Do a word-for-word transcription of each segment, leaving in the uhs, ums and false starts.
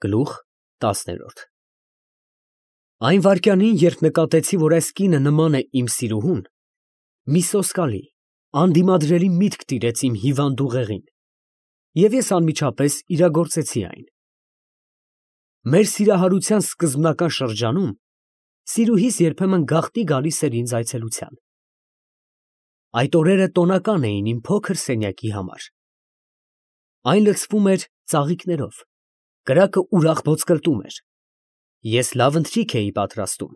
Գլուխ տասներորդ Այն վայրկյանին, երբ նկատեցի, որ այս կինը նման է իմ սիրուհուն, մի սոսկալի, անդիմադրելի միտք տիրեց իմ հիվանդ ուղեղին, և ես անմիջապես իրագործեցի այն։ Մեր սիրահարության սկզբնական շրջանում սիրուհիս երբեմն գաղտնի գալիս էր ինձ այցելության։ Այդ օրերը տոնական էին իմ փոքր սենյակի համար։ Այն լցվում էր ծաղիկներով, կրակը ուրախ ոսկլտում էր, ես լավ ընթրիք էի պատրաստում։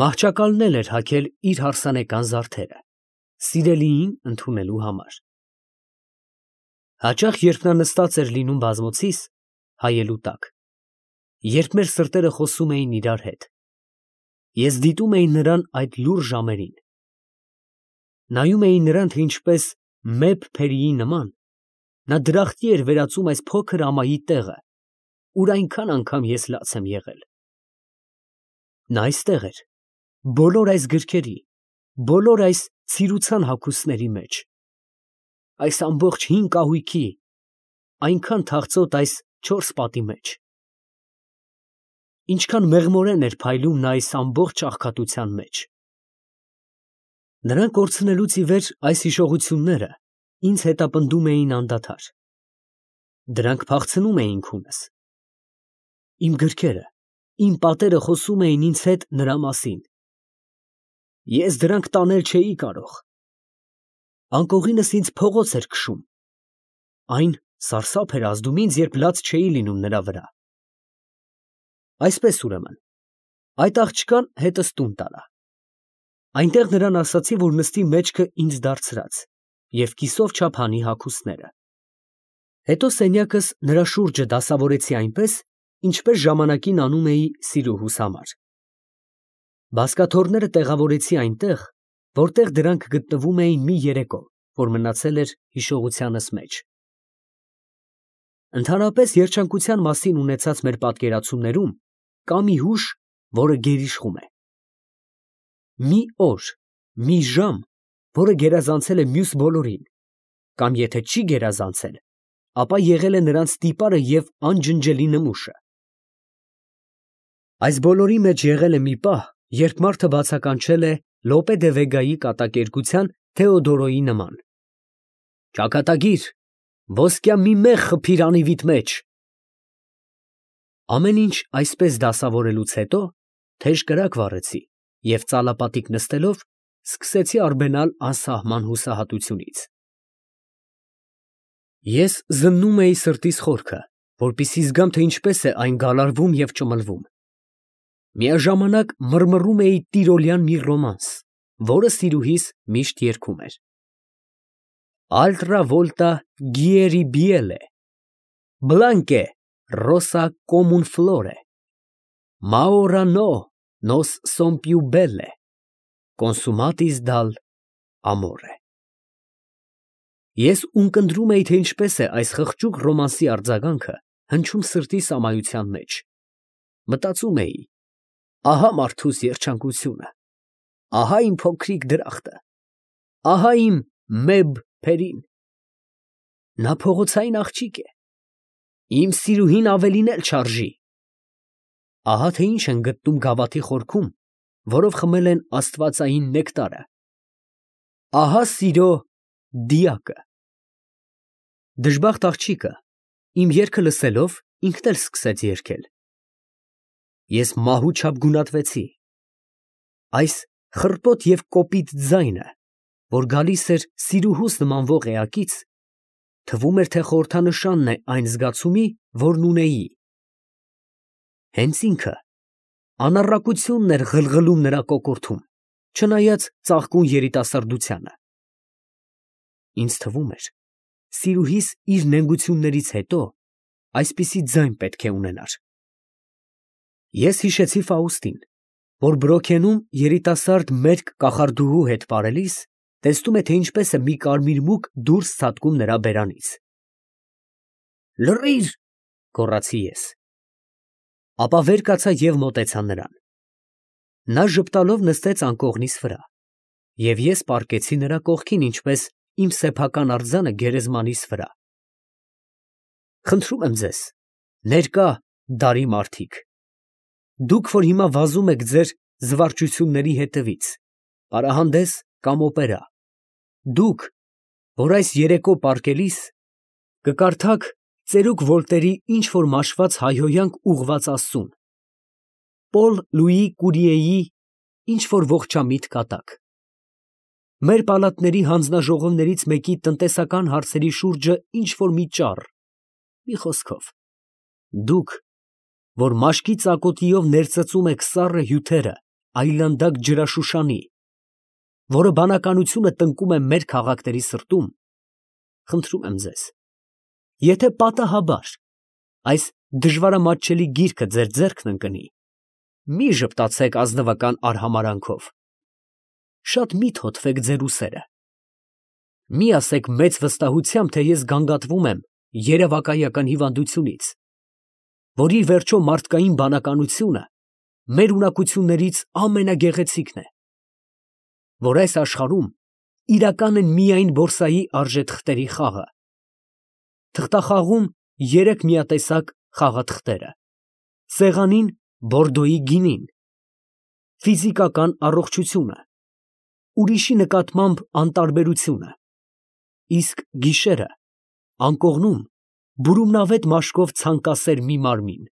Մահճակալն էլ էր հագել իր հարսանեկան զարդերը, սիրելիին ընդունելու համար։ Հաճախ, երբ նա նստած էր լինում բազմոցիս, հայելու տակ, երբ մեր սրտերը խոսում էին իրար հետ, ես դիտում էի նրան այդ լուռ ժամերին, նայում էի նրան, թե ինչպես մեծ փերիի նման, նա դրախտի էր վերածում այս փոքր ամայի տեղը, ուր այնքան անգամ ես լաց եմ եղել։ Նա այստեղ էր, բոլոր այս գրքերի, բոլոր այս ցիրուցան հագուստների մեջ, այս ամբողջ հին կահույքի, այնքան թախծոտ այս չորս պատի մեջ։ Ինչքան մեղմորեն էր փայլում նա այս ամբողջ աղքատության մեջ։ Նրան կորցնելուց ի վեր այս հիշողությունները ինձ հետապնդում էին անդադար։ Դրանք փախցնում էին քունս։ Իմ գրքերը, իմ պատերը խոսում էին ինձ հետ նրա մասին։ Ես դրանք տանել չէի կարող։ Անկողինս ինձ փողոց էր քշում։ Այն սարսափ էր ազդում ինձ, երբ լաց չէի լինում նրա վրա։ Այսպես ուրեմն, այդ աղջկան հետս տուն տարա։ Այնտեղ նրան ասացի, որ նստի մեջքը ինձ դարձրած և կիսով չափ հանի հագուստները։ Հետո սենյակս նրա շուրջը դասավորեցի այնպես, ինչպես ժամանակին անում էի սիրուհուս համար։ Բազկաթոռները տեղավորեցի այնտեղ, որտեղ դրանք գտնվում էին մի երեկո, որ մնացել էր հիշողությանս մեջ։ Ընդհանրապես երջանկության մասին ունեցած մեր պատկերացումներում կա մի հուշ, որը գերիշխում է։ Մի օր, մի ժամ, որը գերազանցել է մյուս բոլորին, կամ եթե չի գերազանցել, ապա եղել է նրանց տիպարը և անջնջելի նմուշը։ Այս բոլորի մեջ եղել է մի պահ, երբ մարդը բացականչել է Լոպե դե Վեգայի կատակերգության Թեոդորոյի նման. «Ճակատագիր, ոսկյա մի մեղ խփիր անիվիդ մեջ»։ Ամեն ինչ այսպես դասավորելուց հետո թեժ կրակ վառեցի և ծալապատիկ նստելով սկսեցի արբենալ անսահման հուսահատությունից։ Ես զննում էի սրտիս խորքը, որպեսզի զգամ, թե ինչպես է այն գալարվում և ճմլվում։ Միաժամանակ մռմռում էի տիրոլյան մի ռոմանս, որը սիրուհիս միշտ երգում էր. Altra volta gieri biele, blanche rosa come un flore, ma ora no, nos son più belle, consumatis dal amore։ Ես ունկնդրում էի, թե ինչպես է այս խղճուկ ռոմանսի արձագանքը հնչում սրտիս ամայության մեջ։ Մտածում էի. ահա մարդուս երջանկությունը, ահա իմ փոքրիկ դրախտը, ահա իմ մեծ փերին։ Նա փողոցային աղջիկ է, իմ սիրուհին ավելին էլ չարժի։ Ահա թե ինչ են գտնում գավաթի խորքում, որով խմել են աստվածային նեկտարը։ Ահա սիրո դիակը։ Դժբախտ աղջիկը, իմ երգը լսելով, ինքն էլ սկսեց երգել։ Ես մահու չափ գունատվեցի։ Այս խռպոտ և կոպիտ ձայնը, որ գալիս էր սիրուհուս նմանվող էակից, թվում էր, թե խորհրդանշանն է այն զգացումի, որն ունեի։ Հենց ինքը անառակությունն էր ղլղլում նրա կոկորդում, չնայած ծաղկուն երիտասարդությանը։ Ինձ թվում էր, սիրուհիս իր նենգություններից հետո այսպիսի ձայն պետք է ունենար։ Ես հիշեցի Ֆաուստին, որ Բրոքենում երիտասարդ մերկ կախարդուհու հետ պարելիս տեսնում է, թե ինչպես է մի կարմիր մուկ դուրս ցատկում նրա բերանից։ Լռի՛ր, գոռացի ես։ Ապա վեր կացա և մոտեցա նրան։ Նա ժպտալով նստեց անկողնիս վրա, և ես պառկեցի նրա կողքին, ինչպես իմ սեփական արձանը գերեզմանիս վրա։ Խնդրում եմ ձեզ, Ներկա դարի մարդիկ, դուք, որ հիմա վազում եք ձեր զվարճությունների հետևից, պարահանդես կամ օպերա, դուք, որ այս երեկո պառկելիս կկարդաք ծերուկ Վոլտերի ինչ֊որ մաշված հայհոյանք ուղղված Աստծուն, Պոլ Լուի Կուրիեի ինչ֊որ ողջամիտ կատակ, մեր պալատների հանձնաժողովներից մեկի տնտեսական հարցերի շուրջը ինչ֊որ մի ճառ, մի խոսքով, դուք, որ մաշկի ծակոտիով ներծծում եք սառը հյութերը այլանդակ ջրաշուշանի, որը բանականությունը տնկում է մեր քաղաքների սրտում, խնդրում եմ ձեզ, եթե պատահաբար այս դժվարամատչելի գիրքը ձեր ձեռքն ընկնի, մի ժպտացեք ազնվական արհամարհանքով, շատ մի թոթվեք ձեր ուսերը, մի ասեք մեծ վստահությամբ, թե ես գանգատվում եմ երևակայական հիվանդությունից, որ ի վերջո մարդկային բանականությունը մեր ունակություններից ամենագեղեցիկն է, որ այս աշխարհում իրական են միայն բորսայի արժեթղթերի խաղը, թղթախաղում երեք միատեսակ խաղաթղթերը, սեղանին Բորդոյի գինին, ֆիզիկական առողջությունը, ուրիշի նկատմամբ անտարբերությունը, իսկ գիշերը անկողնում բուրումնավետ մաշկով ցանկասեր մի մարմին,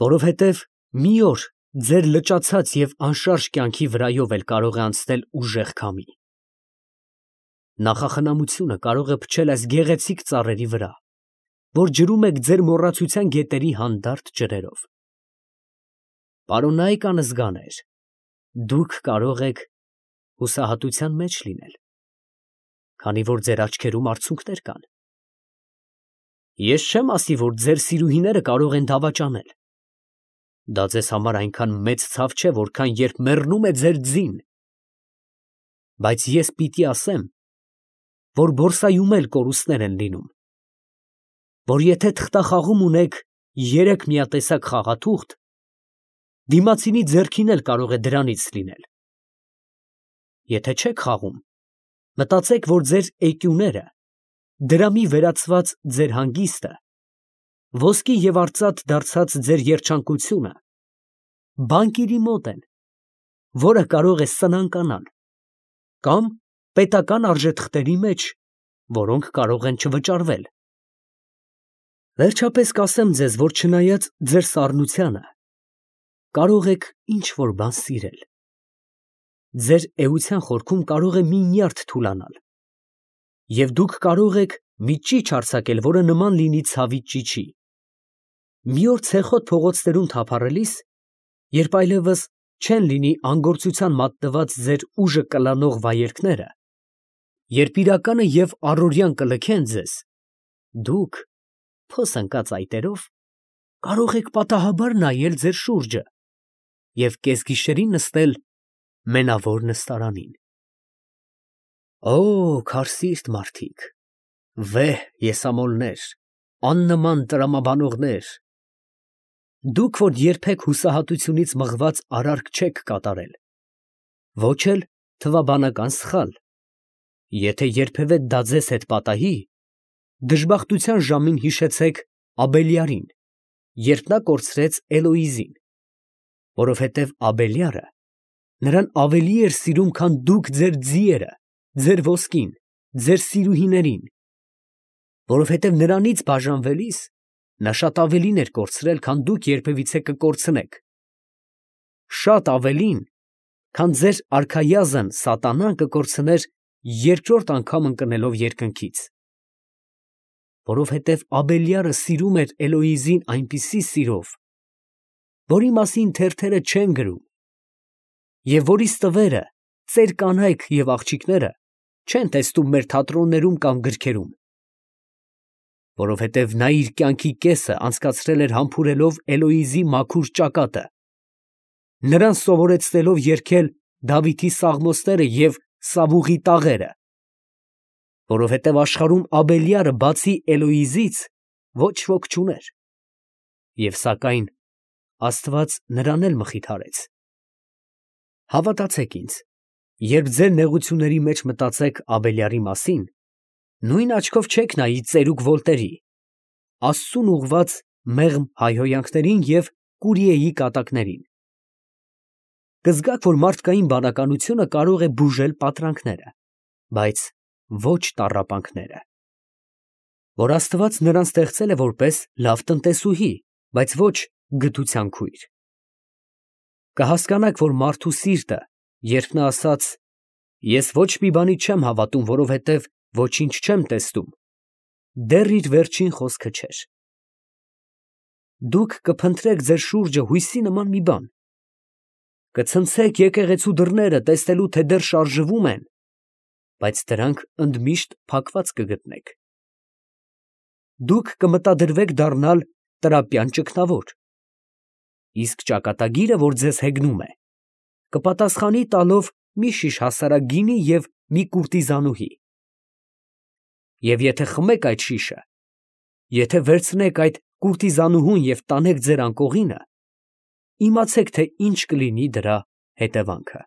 որովհետև մի օր ձեր լճացած և անշարժ կյանքի վրայով էլ կարող է անցնել ուժեղ քամի, նախախնամությունը կարող է փչել այս գեղեցիկ ծառերի վրա, որ ջրում եք ձեր մոռացության գետերի հանդարտ ջրերով, պարոնայք անզգաներ, դուք կարող եք հուսահատության մեջ լինել, քանի որ ձեր աչքերում արցունքներ կան, ես չեմ ասի, որ ձեր սիրուհիները կարող են դավաճանել, դա ձեզ համար այնքան մեծ ցավ չէ, որքան երբ մեռնում է ձեր ձին, բայց ես պիտի ասեմ, որ բորսայում էլ կորուստներ են լինում, որ եթե թղթախաղում ունեք երեք միատեսակ խաղաթուղթ, դիմացինի ձեռքին էլ կարող է դրանից լինել, եթե չեք խաղում, մտածեք, որ ձեր էկյուները, դրամի վերածված ձեր հանգիստը, ոսկի և արծաթ դարձած ձեր երջանկությունը, բանկիրի մոտ են, որը կարող է սնանկանալ, կամ պետական արժեթղթերի մեջ, որոնք կարող են չվճարվել, վերջապես կասեմ ձեզ, որ չնայած ձեր սառնությանը, կարող եք ինչ-որ բան սիրել, ձեր էության խորքում կարող է մի նյարդ թուլանալ, և դուք կարող եք մի ճիչ արձակել, որը նման լինի ցավի ճիչի, մի օր ցեխոտ փողոցներում թափառելիս, երբ այլևս չեն լինի անգործության մատնված ձեր ուժը կլանող վայելքները, երբ իրականը և առօրյան կլքեն ձեզ, դուք, փոս ընկած այտերով, կարող եք պատահաբար նայել ձեր շուրջը և կեսգիշերին նստել մենավոր նստարանին։ Օ, քարսիրտ մարդիկ, վեհ եսամոլներ, աննման տրամաբանողներ, դուք, որ երբեք հուսահատությունից մղված արարք չեք կատարել, ոչ էլ թվաբանական սխալ, եթե երբևէ դա ձեզ հետ պատահի, դժբախտության ժամին հիշեցեք Աբելյարին, երբ նա կորցրեց Էլոիզին, որովհետև Աբելյարը նրան ավելի էր սիրում, քան դուք ձեր ձիերը, ձեր ոսկին, ձեր սիրուհիներին, որովհետև նրանից բաժանվելիս նա շատ ավելին էր կորցրել, քան դուք երբևիցե կկորցնեք, շատ ավելին, քան ձեր արքայազն սատանան կկորցներ երկրորդ անգամ ընկնելով երկնքից, որովհետև Աբելյարը սիրում էր Էլոիզին այնպիսի սիրով, որի մասին թերթերը չեն գրում, և որի ստվերը ծեր կանայք և աղջիկները չեն տեսնում մեր թատրոններում կամ գրքերում, որովհետև նա իր կյանքի կեսը անցկացրել էր համբուրելով Էլոիզի մաքուր ճակատը, նրան սովորեցնելով երգել Դավիթի սաղմոսները և Սավուղի տաղերը, որովհետև աշխարհում Աբելյարը բացի Էլոիզից ոչ ոք չուներ, և սակայն Աստված նրան էլ մխիթարեց։ Հավատացեք ինձ, երբ ձեր նեղությունների մեջ մտածեք Աբելյարի մասին, նույն աչքով չեք նայի ծերուկ Վոլտերի, Աստծուն ուղղված մեղմ հայհոյանքներին և Կուրիեի կատակներին։ Կզգաք, որ մարդկային բանականությունը կարող է բուժել պատրանքները, բայց ոչ տառապանքները, որ Աստված նրան ստեղծել է որպես լավ տնտեսուհի, բայց ոչ գթության քույր։ Կհասկանաք, որ մարդու սիրտը, երբ նա ասաց. «Ես ոչ մի բանի չեմ հավատում, որովհետև ոչինչ չեմ տեսնում», դեռ իր վերջին խոսքը չէր։ Դուք կփնտրեք ձեր շուրջը հույսի նման մի բան, կցնցեք եկեղեցու դռները, տեսնելու, թե դեռ շարժվում են, բայց դրանք ընդմիշտ փակված կգտնեք։ Դուք կմտադրվեք դառնալ տրապյան ճգնավոր, իսկ ճակատագիրը, որ ձեզ հեգնում է, կպատասխանի տալով մի շիշ հասարակ գինի և մի կուրտիզանուհի։ Եվ եթե խմեք այդ շիշը, եթե վերցնեք այդ կուրտիզանուհուն և տանեք ձեր անկողինը, իմացեք, թե ինչ կլինի դրա հետևանքը։